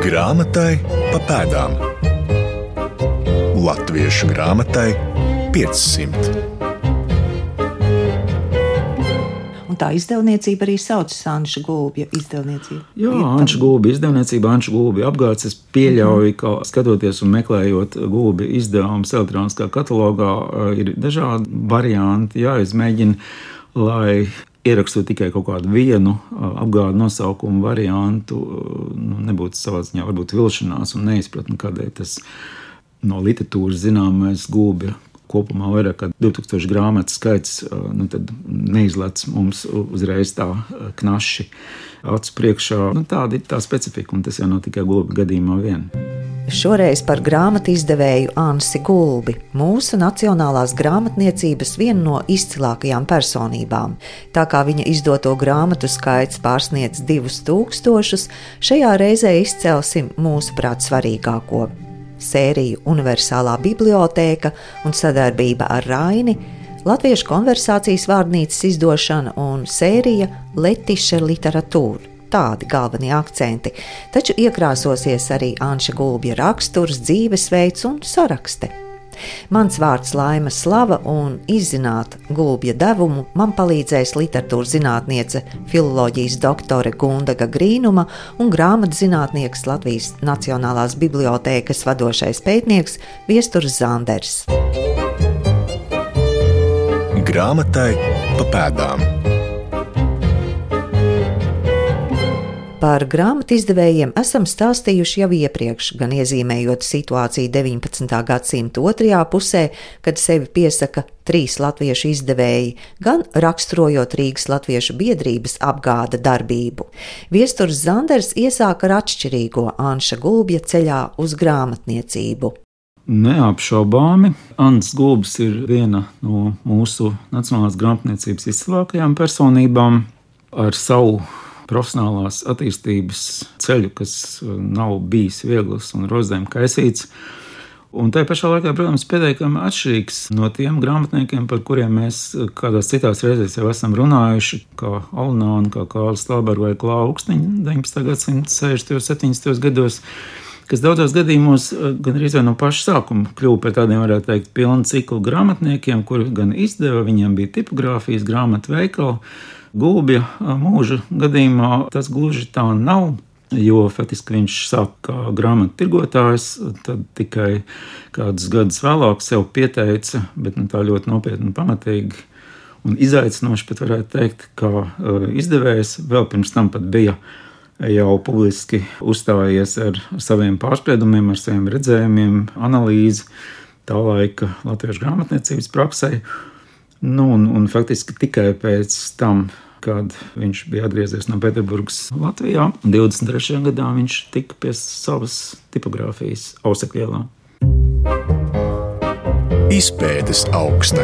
Grāmatai pa pēdām. Latviešu grāmatai 500. Un tā izdevniecība arī saucas Anša Gulbja izdevniecība. Jā, Anša Gulbja izdevniecība, Anša Gulbja apgāds. Es pieļauju, ka skatoties un meklējot Gulbja izdevumus elektroniskā katalogā, ir dažādi varianti jāizmēģina, lai ierakstot tikai kaut kādu vienu apgādu nosaukumu variantu, nebūtu savā ziņā varbūt vilšanās un neizpratni, kādēļ tas no literatūras zināmais Gulbja kopumā vairāk kā 2000 grāmatu skaits, tad neizlec mums uzreiz tā knaši acu priekšā. Tāda ir tā specifika, un tas jau nav tikai Gulbja gadījumā vien. Šoreiz par grāmatu izdevēju Ansi Gulbi, mūsu nacionālās grāmatniecības vienu no izcilākajām personībām. Tā kā viņa izdoto grāmatu skaits pārsniedz 2000, šajā reizē izcelsim mūsuprāt svarīgāko. Sēriju Universālā bibliotēka un sadarbība ar Raini, Latviešu konversācijas vārnīcas izdošana un sērija Letiše literatūra. Tādi galvenie akcenti, taču iekrāsosies arī Anša Gulbja raksturs, dzīvesveids un sarakste. Mans vārds Laima Slava, un izzināt Gulbja devumu man palīdzēs literatūras zinātniece, filoloģijas doktore Gundaga Grīnuma un grāmatzinātnieks Latvijas Nacionālās bibliotēkas vadošais pētnieks Viesturs Zanders. Grāmatai pa pēdām. Par grāmatu izdevējiem esam stāstījuši jau iepriekš, gan iezīmējot situāciju 19. gadsimta otrajā pusē, kad sevi piesaka 3 latviešu izdevēji, gan raksturojot Rīgas latviešu biedrības apgāda darbību. Viesturs Zanders iesāka ar atšķirīgo Anša Gulbja ceļā uz grāmatniecību. Neapšaubāmi, Ants Gulbis ir viena no mūsu nacionālās grāmatniecības izcilākajām personībām ar savu profesionālās attīstības ceļu, kas nav bijis viegls un rozēm kaisīts. Un tajā pašā laikā, protams, pietiekami atšķirīgs no tiem grāmatniekiem, par kuriem mēs kādās citās reizēs jau esam runājuši, kā Alnāni, kā Kārlis Stalberga vai Klāva Ukstiņa 19. gadsimta 60. un 70. gados, kas daudzos gadījumos gan arī no paša sākuma kļuva par tādiem, varētu teikt, pilnu ciklu grāmatniekiem, kuri gan izdeva, viņiem bija tipogrāfijas, grāmatu veikali. Gulbja mūža gadījumā tas gluži tā nav, jo faktiski viņš sāk kā grāmatu tirgotājs, tad tikai kādus gadus vēlāk sev pieteica, bet tā ļoti nopietni un pamatīgi un izaicinoši pat varētu teikt, kā izdevējs. Vēl pirms tam pat bija jau publiski uzstājies ar saviem pārspriedumiem, ar saviem redzējumiem, analīzi tā laika latviešu grāmatniecības praksē. Un faktiski tikai pēc tam, kad viņš bija atgriezies no Pēterburgas Latvijā, 23. gadā viņš tika pie savas tipogrāfijas Ausekļielā. Izpētes augsne.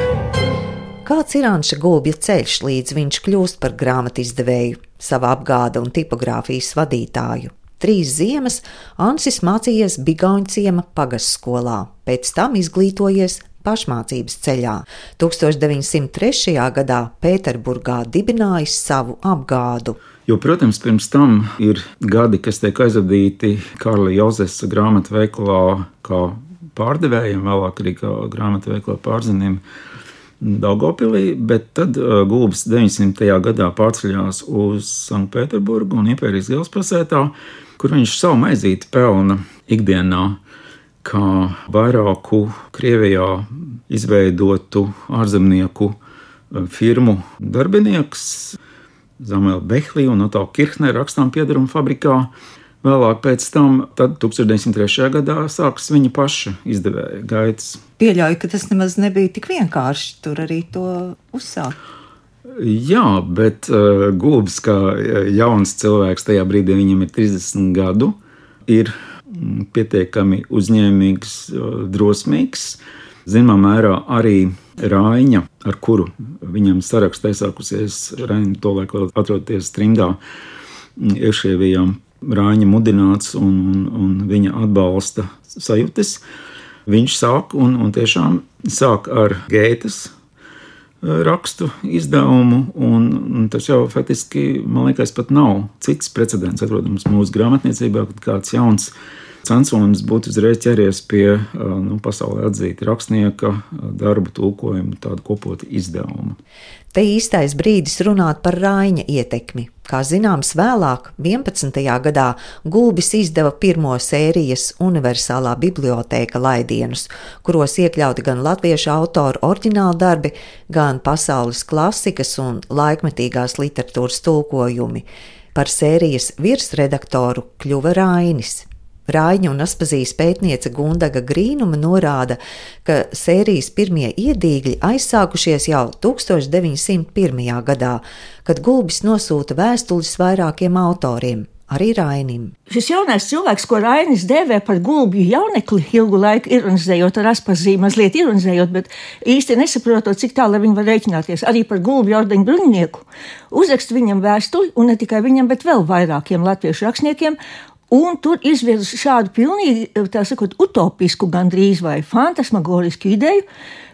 Kāds ir Anša Gulbja ceļš, līdz viņš kļūst par grāmatu izdevēju, sava apgāda un tipogrāfijas vadītāju? 3 ziemas Ansis mācījies Bigauņciema pagastskolā, pēc tam izglītojies pašmācības ceļā. 1903. gadā Pēterburgā dibinājis savu apgādu. Jo, protams, pirms tam ir gadi, kas tiek aizvadīti Kārļa Jozesa grāmatu veikalā kā pārdevējiem, vēlāk arī kā grāmatu veikalā pārzinim Daugavpilī, bet tad Gulbis 900. gadā pārceļās uz Sanktpēterburgu un Impērijas galvaspilsētā, kur viņš savu maizīti pelna ikdienā kā vairāku Krievijā izveidotu ārzemnieku firmu darbinieks, Zamela Behlī un Otto Kirchner rakstām piedarumu fabrikā. Vēlāk pēc tam, tad 1903. gadā sākas viņa paša izdevēja gaitas. Pieļauju, ka tas nemaz nebija tik vienkārši tur arī to uzsākt. Jā, bet Gulbis kā jauns cilvēks, tajā brīdī viņam ir 30 gadu, ir pietiekami uzņēmīgs, drosmīgs. Zināmā mērā arī Raiņa, ar kuru viņam sarakstā iesākusies, Raiņa tolaik vēl atrodoties trimdā iekšēvijā, Raiņa mudināts un viņa atbalsta sajūtas. Viņš sāk un tiešām sāk ar Gētes rakstu izdevumu, un tas jau faktiski, man liekas, pat nav cits precedents atrodams mūsu grāmatniecībā, kad kāds jauns censonis būtu uzreiz ķeries pie pasaulē atzīta rakstnieka darbu tulkojumu tādu kopotu izdevumu. Te īstais brīdis runāt par Raiņa ietekmi. Kā zināms, vēlāk, 11. gadā, Gulbis izdeva pirmo sērijas universālā bibliotēka laidienus, kuros iekļauti gan latviešu autoru oriģināli darbi, gan pasaules klasikas un laikmetīgās literatūras tulkojumi. Par sērijas virsredaktoru kļuva Rainis. Raiņa un Aspazijas pētniece Gundaga Grīnuma norāda, ka sērijas pirmie iedīgļi aizsākušies jau 1901. gadā, kad Gulbis nosūta vēstules vairākiem autoriem, arī Rainim. Šis jaunais cilvēks, ko Rainis dēvē par Gulbju jaunekli, ilgu laiku ironizējot ar Aspaziju, mazliet ironizējot, bet īsti nesaprotot, cik tālu viņi var rēķināties, arī par Gulbju ordeņu bruņinieku, uzrakst viņam vēstuli, un ne tikai viņam, bet vēl vairākiem latviešu rakstniekiem, un tur izvirza šādu pilnīgi, tā sakot, utopisku gandrīz vai fantasmagorisku ideju,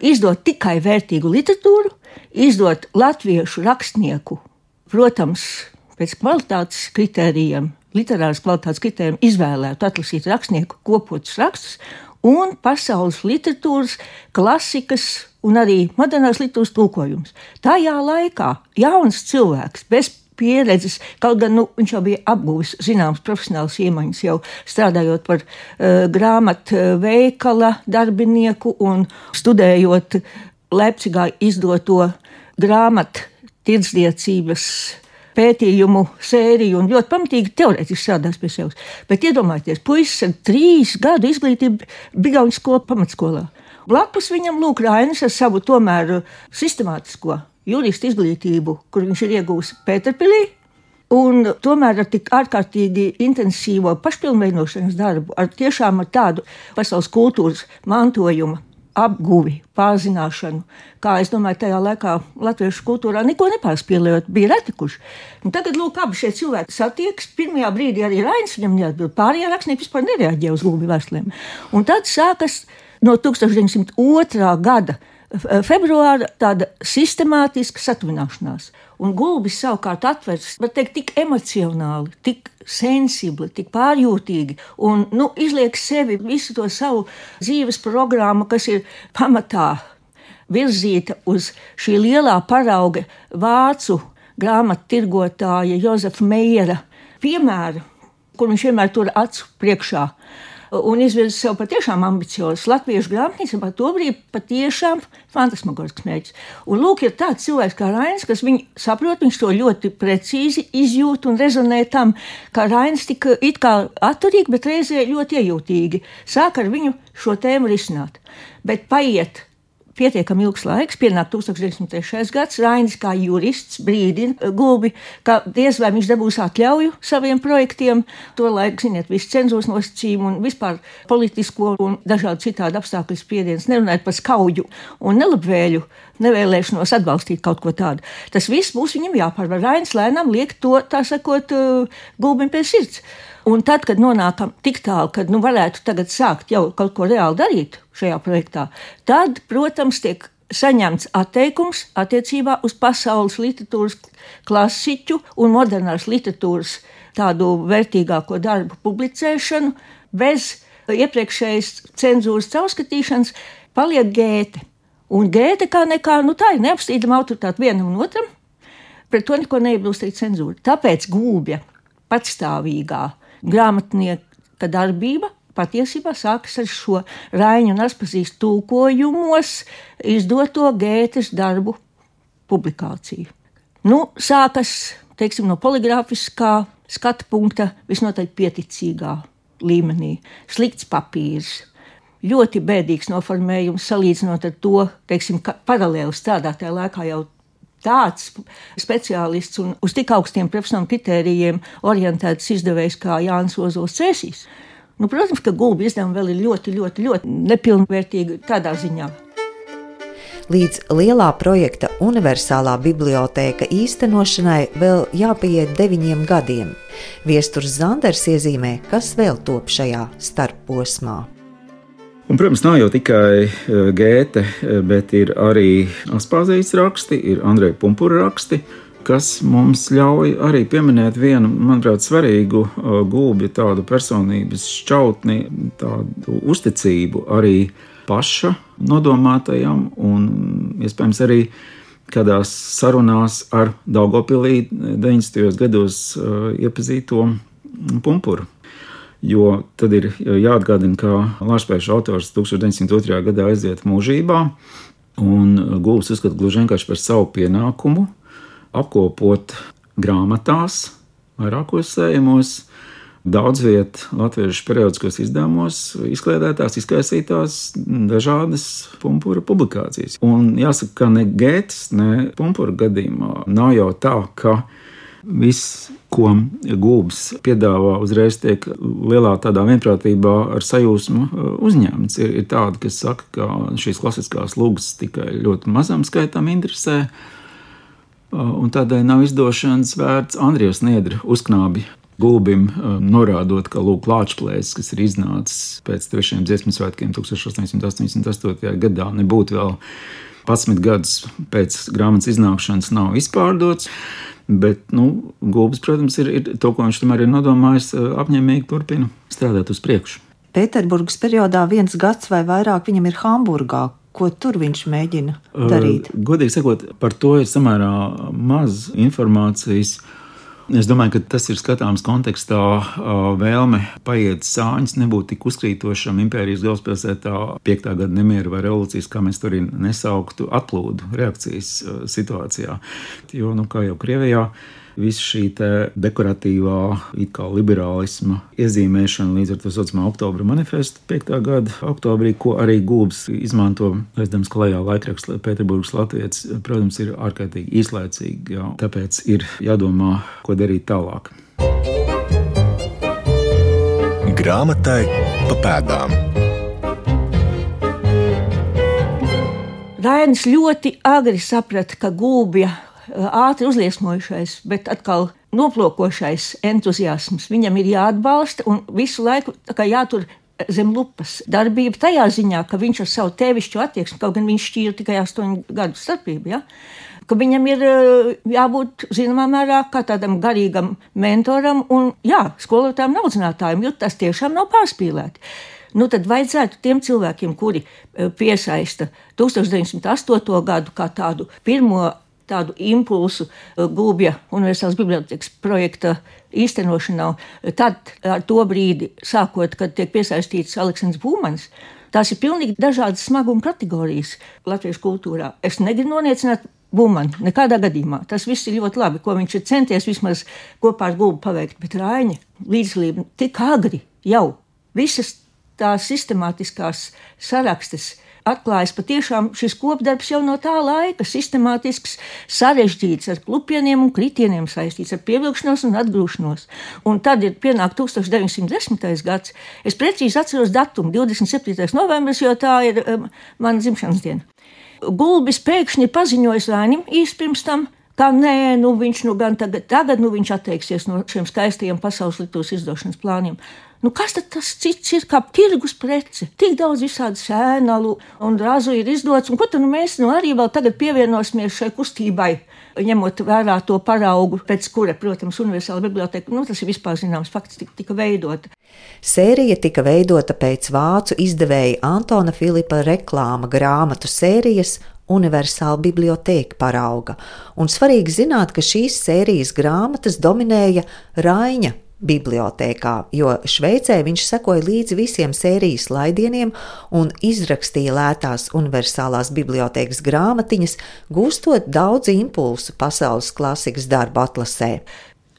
izdot tikai vērtīgu literatūru, izdot latviešu rakstnieku, protams, pēc kvalitātes kritērijiem, literāras kvalitātes kritērijiem izvēlētu atlasīt rakstnieku kopotus rakstus un pasaules literatūras, klasikas un arī modernās literatūras tulkojumus. Tajā laikā jauns cilvēks bez pieredzes, kaut gan viņš jau bija apguvis zināmas profesionālas iemaņas, jau strādājot par grāmatveikala darbinieku un studējot Leipcigā izdoto grāmattirdzniecības pētījumu sēriju un ļoti pamatīgi teorētiski strādās pie sevis. Bet iedomājieties, puisis ar 3 gadu izglītību Bigauņu skolu pamatskolā. Blakus viņam lūk Rainis ar savu tomēr sistemātisko jurista izglītību, kur viņš ir iegūs Pēterpilī, un tomēr ar tik ārkārtīgi intensīvo pašpilnveidošanas darbu, ar tādu pasaules kultūras mantojuma apguvi, pārzināšanu, kā es domāju, tajā laikā latviešu kultūrā neko nepārspīlējot, bija retikuši. Un tagad, lūk, abi šie cilvēki satiekas, pirmajā brīdī arī Rainis viņam neatbild, pārējie rakstnieki vispār nereaģē uz Gulbju vēstulēm. Un tad sākas no 1902. gada februāra tāda sistemātiska satuvināšanās. Un Gulbis savukārt atvers, var teikt, tik emocionāli, tik sensibli, tik pārjūtīgi un izliek sevi visu to savu dzīves programmu, kas ir pamatā virzīta uz šī lielā parauga vācu grāmattirgotāja Jozefa Meiera piemēra, kur viņš vienmēr tur acu priekšā. Un izvirza sev patiešām ambiciozs latviešu grāmatniecībā, tobrīd patiešām fantasmagorisks mērķis. Un lūk, ir tāds cilvēks kā Rainis, kas viņu saprot, viņš to ļoti precīzi izjūt un rezonē tam, kā Rainis tika it kā atturīgi, bet reizē ļoti iejūtīgi. Sāk ar viņu šo tēmu risināt. Bet paiet pietiekami ilgs laiks, pienāk 1903. gads, Rainis kā jurists brīdina Gulbi, ka diez vai viņš dabūs atļauju saviem projektiem, to laiku, ziniet, visu cenzūras nosacījumu un vispār politisko un dažādu citādu apstākļu spiediens, nerunājot par skauju un nelabvēļu, nevēlēšanos atbalstīt kaut ko tādu. Tas viss būs viņam jāpārvar. Rainis lēnām liek to, tā sakot, Gulbim pie sirds. Un tad, kad nonākam tik tālu, kad varētu tagad sākt jau kaut ko reāli darīt šajā projektā, tad, protams, tiek saņemts atteikums attiecībā uz pasaules literatūras klasiķu un modernās literatūras tādu vērtīgāko darbu publicēšanu bez iepriekšējas cenzūras caurskatīšanas, paliek Gēte. Un Gēte kā nekā, tā ir neapstrīdama autoritāte vienam un otram, pret to neko neiebilst arī cenzūra. Tāpēc Gulbja patstāvīgā grāmatnieka darbība patiesībā sākas ar šo Raiņa un Aspazijas tulkojumos izdoto Gētes darbu publikāciju. Sākas, teiksim, no poligrāfiskā skatu punkta visnotaļ pieticīgā līmenī. Slikts papīrs, ļoti bēdīgs noformējums salīdzinot ar to, teiksim, paralēli strādātajā laikā jau tāds speciālists un uz tik augstiem profesionāliem kritērijiem orientēts izdevējs kā Jānis Ozols Cēsīs. Protams, ka Gulbja izdevumi vēl ir ļoti, ļoti, ļoti nepilnvērtīgi tādā ziņā. Līdz lielā projekta universālā bibliotēka īstenošanai vēl jāpieiet 9 gadiem. Viesturs Zanders iezīmē, kas vēl top šajā starpposmā. Un, protams, nav jau tikai Gēte, bet ir arī Aspāzijas raksti, ir Andreja Pumpura raksti, kas mums ļauj arī pieminēt vienu, manuprāt, svarīgu Gulbja tādu personības šķautni, tādu uzticību arī paša nodomātajam un, iespējams, arī kādās sarunās ar Daugavpilī 90. gados iepazīto Pumpuru. Jo tad ir jāatgādina, ka Lāčplēša autors 1902. gadā aiziet mūžībā, un Gulbs uzskata gluži vienkārši par savu pienākumu apkopot grāmatās, vairākos sējumos, daudz viet latviešu periodiskos izdevumos, izkliedētās, izkaisītās dažādas Pumpura publikācijas. Un jāsaka, ka ne Gētes, ne Pumpura gadījumā nav jau tā, ka viss, ko Gulbs piedāvā, uzreiz tiek lielā tādā vienprātībā ar sajūsmu uzņemts. Ir tādi, kas saka, ka šīs klasiskās lūgas tikai ļoti mazam skaitam interesē, un tādēļ nav izdošanas vērts Andrijas Niedra uzknābi Gulbim, norādot, ka lūk Lāčplēsis, kas ir iznācis pēc 3. dziesmu svētkiem 1888. gadā, nebūtu vēl 11 gadus pēc grāmatas iznākšanas nav izpārdots. Bet, Gulbis, protams, ir to, ko viņš tomēr ir nodomājis, apņēmīgi turpina strādāt uz priekšu. Pēterburgas periodā 1 gads vai vairāk viņam ir Hamburgā. Ko tur viņš mēģina darīt? Godīgi sakot, par to ir samērā maz informācijas. Es domāju, ka tas ir skatāms kontekstā vēlme paiet sāņus, nebūt tik uzkrītošam impērijas galvaspilsētā 5. gada nemiera vai revolūcijas, kā mēs tur nesauktu, atplūdu reakcijas situācijā. Jo, kā jau Krievijā, visa šī dekoratīvā, it kā liberālisma iezīmēšana līdz ar to saucamā Oktobra manifestu 5. gada oktobrī, ko arī Gulbs izmanto, aizdams klajā laikraksts Pēterburgas Latvijas, protams, ir ārkārtīgi īslaicīgi, tāpēc ir jādomā, ko darīt tālāk. Grāmatai pa pēdām. Rainis ļoti agri saprata, ka Gulbja ātri uzliesmojušais, bet atkal noplokošais entuziasms viņam ir jāatbalsta un visu laiku jātur zem lupas darbība tajā ziņā, ka viņš ar savu tēvišķu attieksmi, kaut gan viņš šķīra tikai 8 gadu starpību, ja? Ka viņam ir jābūt zināmā mērā kā tādam garīgam mentoram un skolotājiem un audzinātājiem, jo tas tiešām nav pārspīlēti. Tad vajadzētu tiem cilvēkiem, kuri piesaista 1908. gadu kā tādu pirmo tādu impulsu Gulbja Universālās bibliotēkas projekta īstenošanā, tad ar to brīdi, sākot, kad tiek piesaistīts Aleksandrs Būmanis, tās ir pilnīgi dažādas smaguma kategorijas latviešu kultūrā. Es negribu noniecināt Būmani, nekādā gadījumā. Tas viss ir ļoti labi, ko viņš ir centies vismaz kopā ar Gulbu paveikt, bet Raina līdzdalība tik agri jau visas tās sistemātiskās sarakstes atklājas patiešām šis kopdarbs jau no tā laika, sistemātisks, sarežģīts, ar klupieniem un kritieniem saistīts, ar pievilkšanos un atgrūšanos. Un tad ir pienāk 1910. gads. Es precīzi atceros datumu, 27. novembris, jo tā ir mana dzimšanas diena. Gulbis pēkšņi paziņojas Rainim īsti pirms tam, ka viņš gan tagad viņš atteiksies no šiem skaistajiem pasaules literatūras izdošanas plāniem. Kas tad tas cits ir kā tirgus prece? Tik daudz visādi sēnalu un razu ir izdots, un ko tad mēs arī vēl tagad pievienosimies šai kustībai, ņemot vērā to paraugu, pēc kura, protams, Universāla biblioteka, tas ir vispār zināms fakts, tika veidota. Sērija tika veidota pēc vācu izdevēja Antona Filipa reklāma grāmatu sērijas Universāla bibliotēka parauga, un svarīgi zināt, ka šīs sērijas grāmatas dominēja Raina bibliotēkā, jo Šveicē viņš sekoja līdzi visiem sērijas laidieniem un izrakstīja lētās Universālās bibliotēkas grāmatiņas, gūstot daudz impulsu pasaules klasikas darbu atlasē.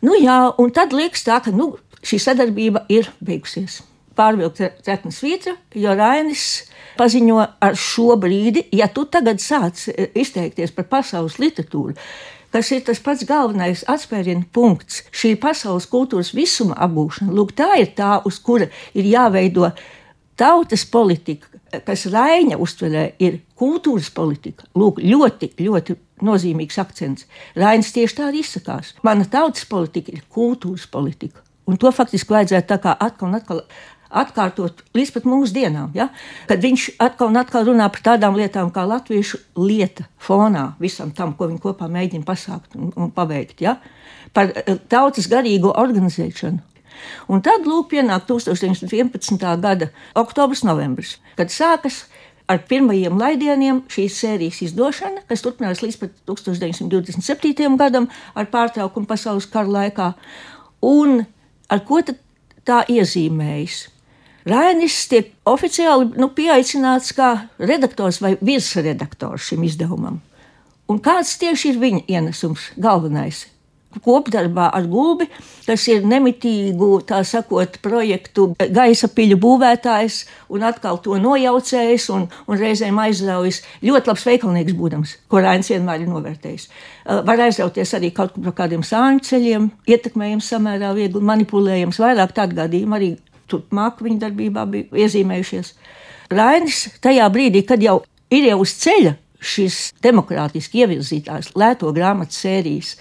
Un tad liekas tā, ka šī sadarbība ir beigusies. Pārvilkt trekna svītra, jo Rainis paziņo ar šo brīdi, ja tu tagad sāc izteikties par pasaules literatūru, kas ir tas pats galvenais atspērienu punkts, šī pasaules kultūras visuma apgūšana. Lūk, tā ir tā, uz kura ir jāveido tautas politika, kas Raina uztverē ir kultūras politika. Lūk, ļoti, ļoti nozīmīgs akcents. Rainis tieši tā arī izsakās. Mana tautas politika ir kultūras politika. Un to faktiski vajadzētu tā kā atkal un atkal atkārtot līdz pat mūsdienām. Ja? Kad viņš atkal un atkal runā par tādām lietām kā latviešu lieta fonā visam tam, ko viņi kopā mēģina pasākt un paveikt. Ja? Par tautas garīgo organizēšanu. Un tad, lūk, pienāk 1911. gada oktobris, novembris, kad sākas ar pirmajiem laidieniem šīs sērijas izdošana, kas turpinās līdz pat 1927. gadam ar pārtraukumu pasaules kara laikā. Un ar ko tad tā iezīmējas? Rainis tiek oficiāli pieaicināts kā redaktors vai virsredaktors šim izdevumam. Un kāds tieši ir viņa ienesums galvenais? Kopdarbā ar Gulbi, kas ir nemitīgu, tā sakot, projektu gaisa piļu būvētājs un atkal to nojaucējis un reizēm aizraujas ļoti labs veikalnieks būdams, ko Rainis vienmēr ir novērtējis. Var aizrauties arī kaut kur par kādiem sāņu ceļiem, ietekmējams samērā viegli, manipulējams, vairāk tādu gadījumu arī turpmāk viņa darbībā bija iezīmējušies. Rainis tajā brīdī, kad jau ir uz ceļa, šis demokrātiski ievirzītās lēto grāmatu sērijas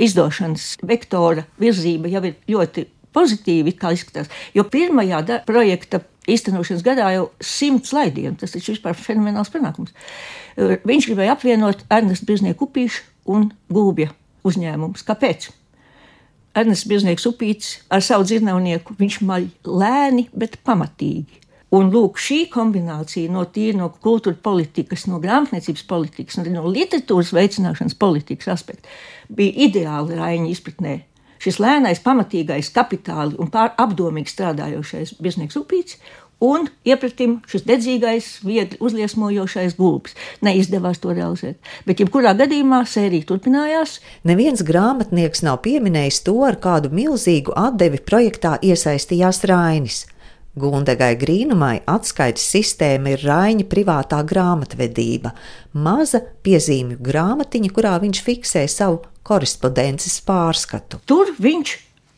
izdošanas vektora virzība jau ir ļoti pozitīvi, kā izskatās, jo pirmajā projekta īstenošanas gadā jau 100 laidienu, tas ir vispār fenomenāls panākums. Viņš gribēja apvienot Ernestu Birznieku Upīšu un Gulbja uzņēmumus. Kāpēc? Ernests Birznieks Upīts ar savu dzirnavnieku, viņš maļ lēni, bet pamatīgi. Un lūk, šī kombinācija no kultūra politikas, no grāmatniecības politikas, no literatūras veicināšanas politikas aspekta bija ideāli Raņa izpratnē. Šis lēnais, pamatīgais, kapitāli un apdomīgi strādājošais Birznieks Upīts un iepratim šis dedzīgais, viegli uzliesmojošais Gulbis. Neizdevās to realizēt, bet jebkurā gadījumā sērija turpinājās. Neviens grāmatnieks nav pieminējis to, ar kādu milzīgu atdevi projektā iesaistījās Rainis. Gundegai Grīnumai atskaites sistēma ir Raņa privātā grāmatvedība, maza piezīmju grāmatiņa, kurā viņš fiksē savu korespondences pārskatu. Tur viņš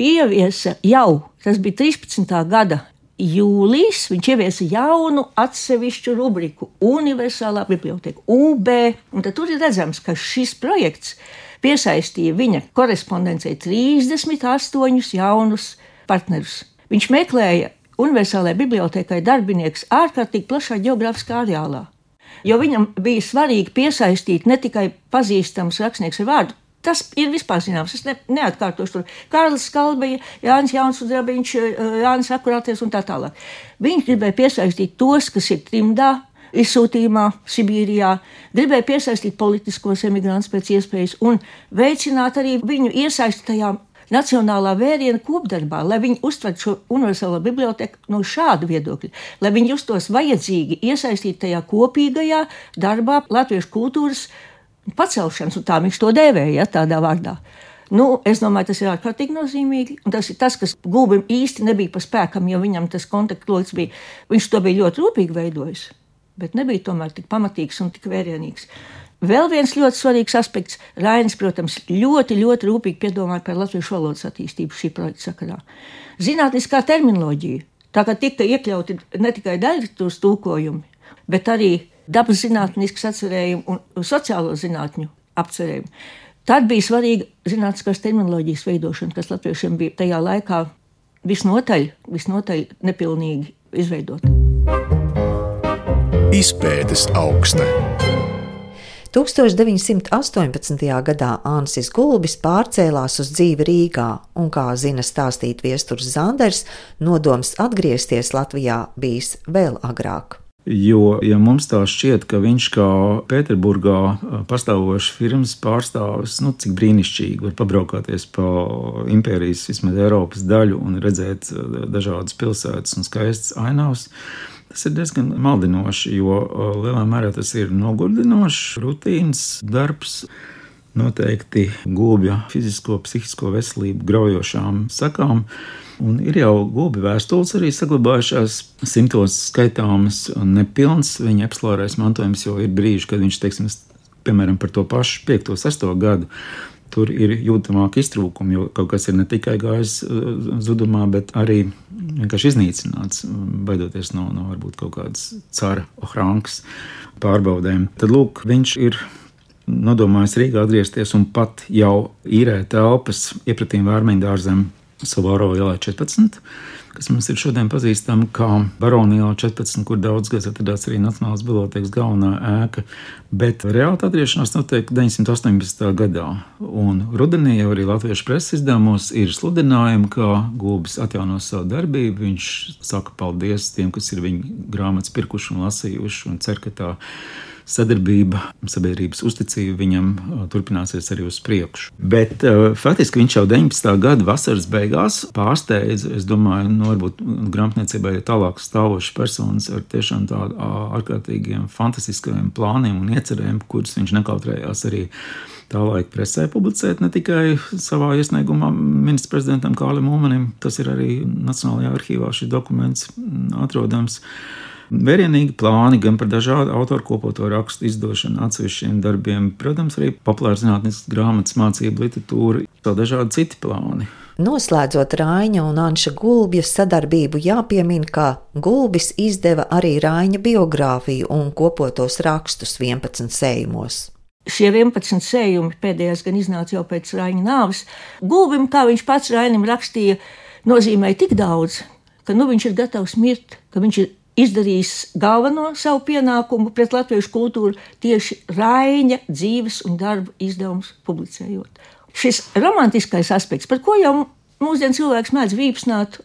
ieviesa jau, tas bija 13. gada jūlijas, viņš ieviesa jaunu atsevišķu rubriku Universālā biblioteka, UB, un tad tur ir redzams, ka šis projekts piesaistīja viņa korespondencei 38 jaunus partnerus. Viņš meklēja Universālajai bibliotekai darbinieks ārkārtīgi plašā geogrāfiskā areālā, jo viņam bija svarīgi piesaistīt ne tikai pazīstams rakstnieks ar vārdu, tas ir vispār zināms, es neatkārtošu tur. Kārlis Skalbeja, Jānis Jaunsudrabiņš, Jānis Akurāties un tā tālāk. Viņš gribēja piesaistīt tos, kas ir trimdā, izsūtījumā, Sibīrijā, gribēja piesaistīt politiskos emigrantus pēc iespējas un veicināt arī viņu iesaistītajā nacionālā vēriena kopdarbā, lai viņi uztvertu šo universālo biblioteku no šāda viedokļa, lai viņi justos vajadzīgi iesaistīt tajā kopīgajā darbā latviešu kultūras pacelšanas, un tā viņš to dēvēja, tādā vārdā. Es domāju, tas ir ārkārtīgi nozīmīgi, un tas ir tas, kas Gulbim īsti nebija pa spēkam, jo viņam tas kontaktloks bija, viņš to bija ļoti rūpīgi veidojis, bet nebija tomēr tik pamatīgs un tik vērienīgs. Vēl viens ļoti svarīgs aspekts. Rainis, protams, ļoti rūpīgi piedomāja par latviešu valodas attīstību šī projekta sakarā. Zinātniskā terminoloģija, tā kā tika iekļauti ne tikai daļliteratūras tulkojumi, bet arī dabas zinātniskas atcerējumi un sociālo zinātņu apcerējumi. Tad bija svarīga zinātniskās terminoloģijas veidošana, kas latviešiem bija tajā laikā visnotaļ nepilnīgi izveidota. Izpētes aukste. 1918. gadā Ansis Gulbis pārcēlās uz dzīvi Rīgā, un, kā zina stāstīt viesturs Zanders, nodoms atgriezties Latvijā bijis vēl agrāk. Jo, ja mums tā šķiet, ka viņš kā Pēterburgā pastāvošs firmas pārstāvis, cik brīnišķīgi var pabraukāties pa impērijas, vismaz Eiropas daļu un redzēt dažādas pilsētas un skaistas ainavas, tas ir diezgan maldinoši, jo lielā mērā tas ir nogurdinošs, rutīnas darbs, noteikti Gulbja fizisko, psihisko veselību graujošām sakām. Un ir jau Gulbja vēstules arī saglabājušās, simtos skaitāmas un nepilns viņa epsilārais mantojums, jo ir brīži, kad viņš, piemēram, par to pašu 5. 6. gadu, tur ir jūtamāk iztrūkumi, jo kaut kas ir ne tikai gājis zudumā, bet arī vienkārši iznīcināts, baidoties no varbūt kaut kādas cara Ohrankas pārbaudēm. Tad, lūk, viņš ir nodomājis Rīgā atgriezties un pat jau īrē telpas iepratīm Vērmeņdārzem Savāro ielā 14, kas mums ir šodien pazīstama kā Barona ielā 14, kur daudz gads atradās arī Nacionālās bibliotēkas galvenā ēka. Bet reāli atgriešanās notiek 918. gadā. Un rudenī jau arī latviešu preses izdevumos ir sludinājumi, ka Gulbis atjaunos savu darbību. Viņš saka paldies tiem, kas ir viņa grāmatas pirkuši un lasījuši, un cer, ka tā sadarbība, sabiedrības uzticība viņam turpināsies arī uz priekšu. Bet faktiski viņš jau 19. gada vasaras beigās pārsteidza, es domāju, varbūt grāmatniecībai ir tālāk stāvošas personas ar tiešām tādu ārkārtīgiem, fantastiskajiem plāniem un iecerēm, kurus viņš nekautrējās arī tā laika presē publicēt, ne tikai savā iesniegumā ministra prezidentam Kārlim Ulmanim, tas ir arī Nacionālajā arhīvā šis dokuments atrodams. Vērienīgi plāni gan par dažādu autoru kopoto rakstu izdošanu, atsevišķiem darbiem, protams, arī populāras zinātniskas grāmatas, mācību literatūra, vēl dažādi citi plāni. Noslēdzot Raiņa un Anša Gulbja sadarbību, jāpiemina, ka Gulbis izdeva arī Raiņa biogrāfiju un kopotos rakstus 11 sējumos. Šie 11 sējumi pēdējais gan iznāca jau pēc Raiņa nāves. Gulbim, kā viņš pats Rainim rakstīja, nozīmēja tik daudz, ka viņš ir gatavs mirt, ka viņš ir izdarījis galveno savu pienākumu pret latviešu kultūru tieši Raiņa dzīves un darba izdevumus publicējot. Šis romantiskais aspekts, par ko jau mūsdien cilvēks mēdz vīpsnāt,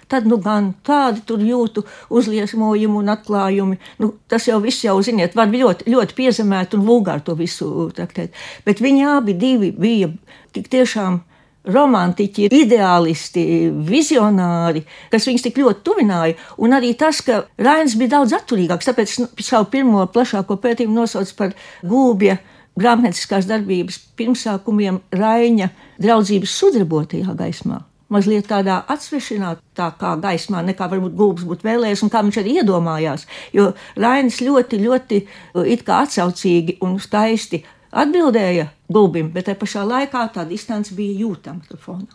tad gan tādi tur jūtu uzliesmojumu un atklājumi. Tas jau viss jau, ziniet, var ļoti, ļoti piezemēt un vulgāri to visu traktēt. Bet viņi abi divi bija tik tiešām romantiķi, ideālisti, vizionāri, kas viņus tik ļoti tuvināja, un arī tas, ka Rainis bija daudz atturīgāks, tāpēc savu pirmo plašāko pētījumu nosauc par Gulbja grāmatnieciskās darbības pirmsākumiem Raiņa draudzības sudrabotajā gaismā. Mazliet tādā atsvešinātākā gaismā, nekā varbūt Gulbis būtu vēlējies un kā viņš arī iedomājās, jo Rainis ļoti, ļoti it kā atsaucīgi un skaisti atbildēja Gulbim, bet tajā pašā laikā tā distance bija jūtama tur fonā.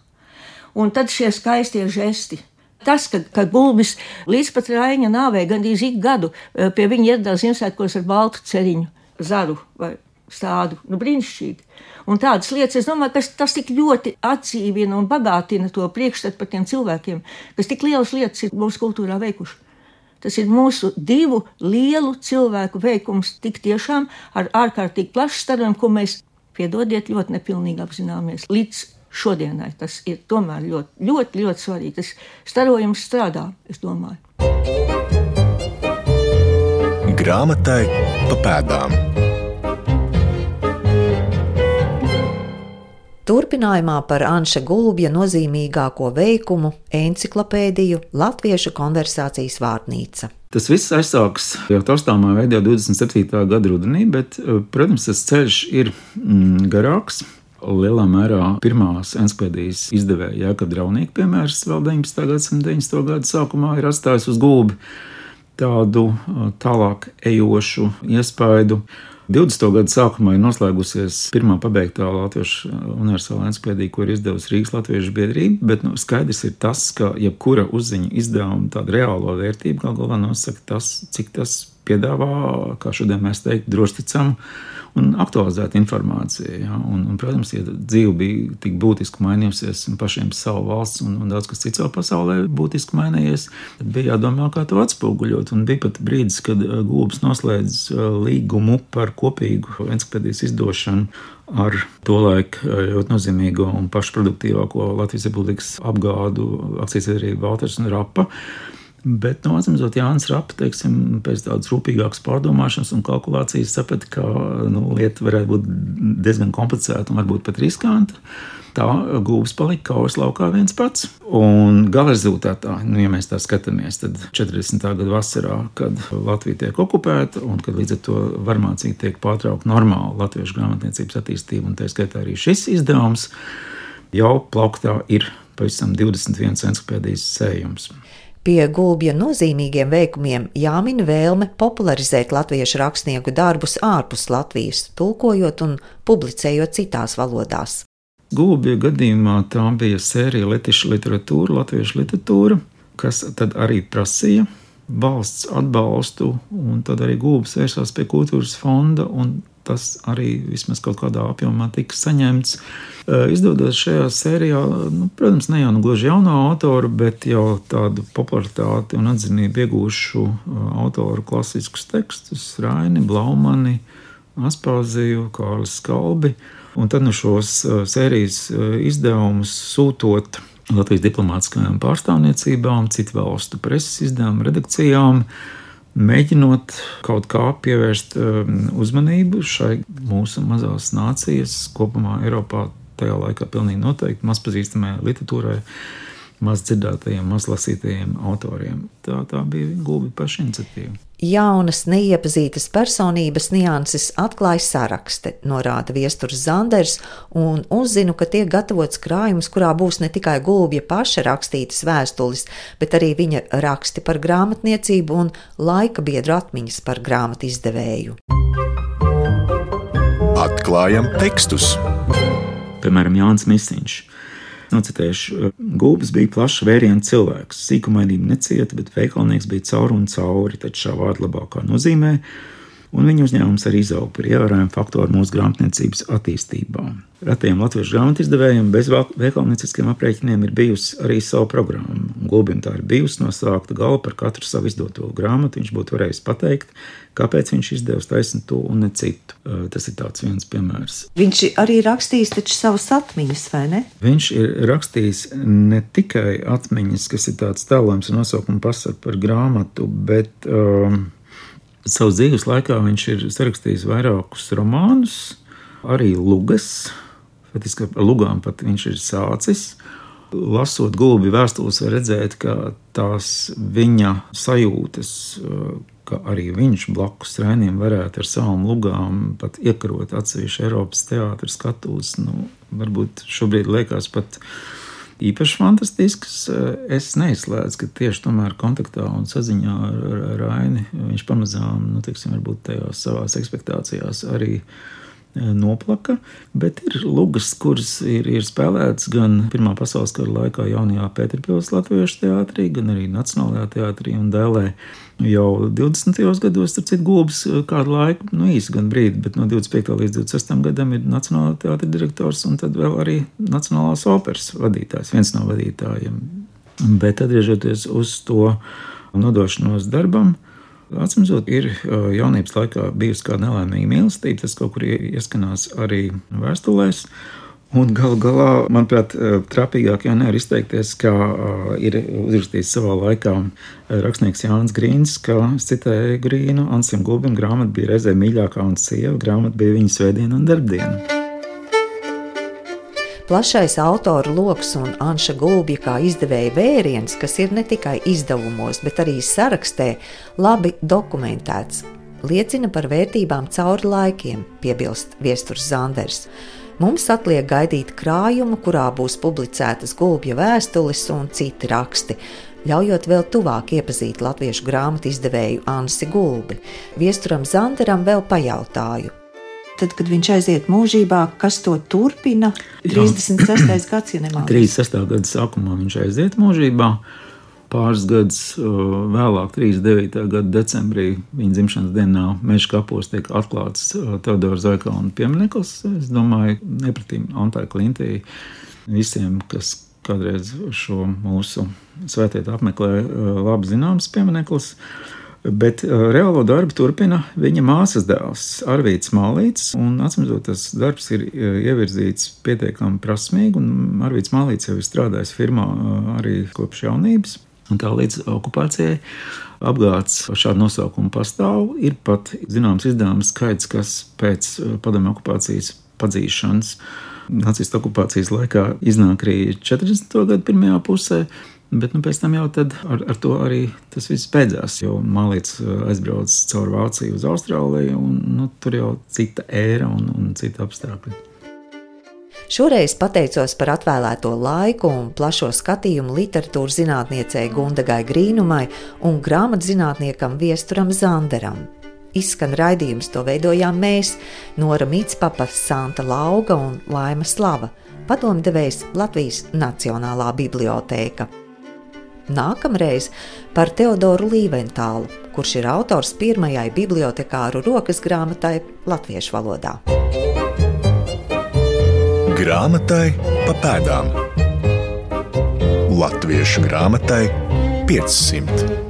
Un tad šie skaistie žesti. Tas, ka Gulbis līdz pat Raiņa nāvei gandrīz ik gadu pie viņa ieradās Ziemassvētkos ar baltu ceriņu, zaru vai stādu, brīnišķīgi. Un tādas lietas, es domāju, ka tas tik ļoti atdzīvina un bagātina to priekšstatu par tiem cilvēkiem, kas tik lielas lietas ir mūsu kultūrā veikuši. Tas ir mūsu divu lielu cilvēku veikums tik tiešām ar ārkārtīgi plašu starojumu, ko mēs, piedodiet, ļoti nepilnīgi apzināmies. Līdz šodienai tas ir tomēr ļoti, ļoti, ļoti svarīgi. Tas starojums strādā, es domāju. Grāmatai pa pēdām. Turpinājumā par Anša Gulbja nozīmīgāko veikumu enciklopēdiju Latviešu konversācijas vārtnīca. Tas viss aizsāks jau taustāmā veidā 27. gada rudenī, bet, protams, tas ceļš ir garāks. Lielā mērā pirmās enciklopēdijas izdevēja Jākab Draunīka piemērs vēl 19. gadsimta 90. gadu sākumā ir atstājis uz Gulbi tādu tālāk ejošu iespaidu. 20. gada sākumā ir noslēgusies pirmā pabeigtā latviešu universālā enciklopēdija, ko ir izdevusi Rīgas Latviešu biedrība, bet skaidrs ir tas, ka jebkura uzziņa izdevuma tāda reālo vērtību gal galā nosaka tas, cik tas piedāvā, kā šodien mēs teiktu, drošticamu un aktualizētu informāciju. Ja? Un, protams, ja dzīve bija tik būtiski mainījusies un pašiem savu valsts un daudz kas cits pasaulē būtiski mainījies, tad bija jādomā, kā to atspoguļot. Un bija pat brīdis, kad Gulbis noslēdz līgumu par kopīgu enciklopēdijas izdošanu ar tolaik ļoti nozīmīgo un pašproduktīvāko Latvijas Republikas apgādu akcijas-sabiedrību Valters un Rapa. Bet, atsimzot, Jānis Rapa, teiksim, pēc tādas rūpīgākas pārdomāšanas un kalkulācijas saprata, ka lieta varētu būt diezgan komplicēta un varbūt pat riskanta. Tā Gulbis palika kaujas laukā viens pats. Un gala rezultātā, ja mēs tā skatāmies, tad 40. gada vasarā, kad Latvija tiek okupēta un kad līdz ar to varmācīgi tiek pārtraukta normāla latviešu grāmatniecības attīstība, un tā skaitā arī šis izdevums, jau plauktā ir pavisam 21 enciklopēdijas sējums. Pie Gulbja nozīmīgiem veikumiem jāmin vēlme popularizēt latviešu rakstnieku darbus ārpus Latvijas, tulkojot un publicējot citās valodās. Gulbja gadījumā tā bija sērija letišu literatūra, latviešu literatūra, kas tad arī prasīja valsts atbalstu, un tad arī Gulbis vērsās pie kultūras fonda un tas arī vismaz kaut kādā apjomā tika saņemts. Izdodas šajā sērijā, protams, ne jau gluži jauno autoru, bet jau tādu popularitāti un atzinību iegūšu autoru klasiskus tekstus - Raini, Blaumani, Aspāziju, Kārlis Skalbi. Un tad šos sērijas izdevumus sūtot Latvijas diplomātiskajām pārstāvniecībām, citu valstu preses izdevumu redakcijām, mēģinot kaut kā pievērst uzmanību šai mūsu mazās nācijas, kopumā Eiropā tajā laikā pilnīgi noteikti mazpazīstamajai literatūrai, maz dzirdētajiem, maz lasītajiem autoriem. Tā bija Gulbja paša iniciatīva. Jaunas, neiepazītas personības nianses atklāja sarakste, norāda Viesturs Zanders, un uzzinu, ka tiek gatavots krājums, kurā būs ne tikai Gulbja paša rakstītas vēstules, bet arī viņa raksti par grāmatniecību un laika biedru atmiņas par grāmatu izdevēju. Atklājam tekstus. Piemēram, Jānis Misiņš. Nocitēšu, Gulbis bija plašs vērienu cilvēks, sīkumainība necieta, bet veikalnieks bija cauri un cauri, taču šā vārda labākā nozīmē, un viņa uzņēmums arī izauga par ievērojumu faktoru mūsu grāmatniecības attīstībā. Retajiem latviešu grāmatu izdevējiem bez veikalnieciskiem aprēķiniem ir bijusi arī sava programma. Gulbim tā ir bijusi no sākta gala par katru savu izdoto grāmatu. Viņš būtu varējis pateikt, kāpēc viņš izdevusi taisni to un ne citu. Tas ir tāds viens piemērs. Viņš arī rakstījis taču savas atmiņas, vai ne? Viņš ir rakstījis ne tikai atmiņas, kas ir tāds tēlojums un nosaukuma pasaka par grāmatu, bet savas dzīves laikā viņš ir sarakstījis vairākus romānus, arī lugas. Faktiski ar lugām pat viņš ir sācis. Lasot Gulbja vēstules, var redzēt, ka tās viņa sajūtas, ka arī viņš blakus Rainiem varētu ar savām lugām pat iekarot atsevišķu Eiropas teātra skatuves. Varbūt šobrīd liekas pat īpaši fantastisks. Es neizslēdzu, ka tieši tomēr kontaktā un saziņā ar Raini viņš pamazām, varbūt tajās savās ekspektācijās arī noplaka, bet ir lugas, kuras ir spēlētas gan Pirmā pasaules kara laikā jaunajā Pēterpils latviešu teātrī, gan arī Nacionālajā teātrī un Dēlē. Jau 20. gados, starp citu, Gulbis kādu laiku, īsi gan brīdi, bet no 25. līdz 26. gadam ir Nacionālā teātra direktors un tad vēl arī Nacionālās operas vadītājs, viens no vadītājiem. Bet atgriežoties uz to nodošanos darbam, atcīmredzot, ir jaunības laikā bijusi kāda nelaimīga mīlestība, tas kaut kur ieskanās arī vēstulēs. Un galu galā, manuprāt, trāpīgāk jau nevar izteikties, kā ir uzrakstījis savā laikā rakstnieks Jānis Grīns, ka, es citēju Grīnu, Ansim Gulbim grāmata bija reizē mīļākā un sieva, grāmata bija viņa svētdiena un darbdiena. Plašais autoru loks un Anša Gulbja kā izdevēja vēriens, kas ir ne tikai izdevumos, bet arī sarakstē, labi dokumentēts, liecina par vērtībām cauri laikiem, piebilst Viesturs Zanders. Mums atliek gaidīt krājumu, kurā būs publicētas Gulbja vēstules un citi raksti, ļaujot vēl tuvāk iepazīt latviešu grāmatu izdevēju Ansi Gulbi. Viesturam Zanderam vēl pajautāju. Tad, kad viņš aiziet mūžībā, kas to turpina? 36. gads, ja nemaldos. 36. gada sākumā viņš aiziet mūžībā. Pāris gadus vēlāk, 39. gada decembrī, viņa dzimšanas dienā Meža kapos tiek atklāts Teodora Zaikauna piemineklis. Es domāju, nepratīm Antai Klintī visiem, kas kādreiz šo mūsu svētietu apmeklē, labi zināms piemineklis. Bet reālo darbu turpina viņa māsas dēls Arvīds Mālīts, un atcīmredzot, tas darbs ir ievirzīts pietiekami prasmīgi, un Arvīds Mālīts jau ir strādājis firmā arī kopš jaunības, un tā līdz okupācijai apgāds šādu nosaukumu pastāv. Ir pat zināms izdevums skaits, kas pēc padomju okupācijas padzīšanas nacistu okupācijas laikā iznāk arī 40. gadu pirmajā pusē. Bet pēc tam jau tad ar to arī tas viss beidzās, jo Mālīts aizbrauc caur Vāciju uz Austrāliju, un tur jau cita ēra un cita apstākļi. Šoreiz pateicos par atvēlēto laiku un plašo skatījumu literatūras zinātniecei Gundagai Grīnumai un grāmatzinātniekam Viesturam Zanderam. Izskan raidījums, to veidojām mēs, Nora Mītspapa, Santa Lauga un Laima Slava, padomdevējs Latvijas Nacionālā bibliotēka. Nākamreiz par Teodoru Līventālu, kurš ir autors pirmajai bibliotekāru rokas grāmatai latviešu valodā. Grāmatai pa pēdām. Latviešu grāmatai 500.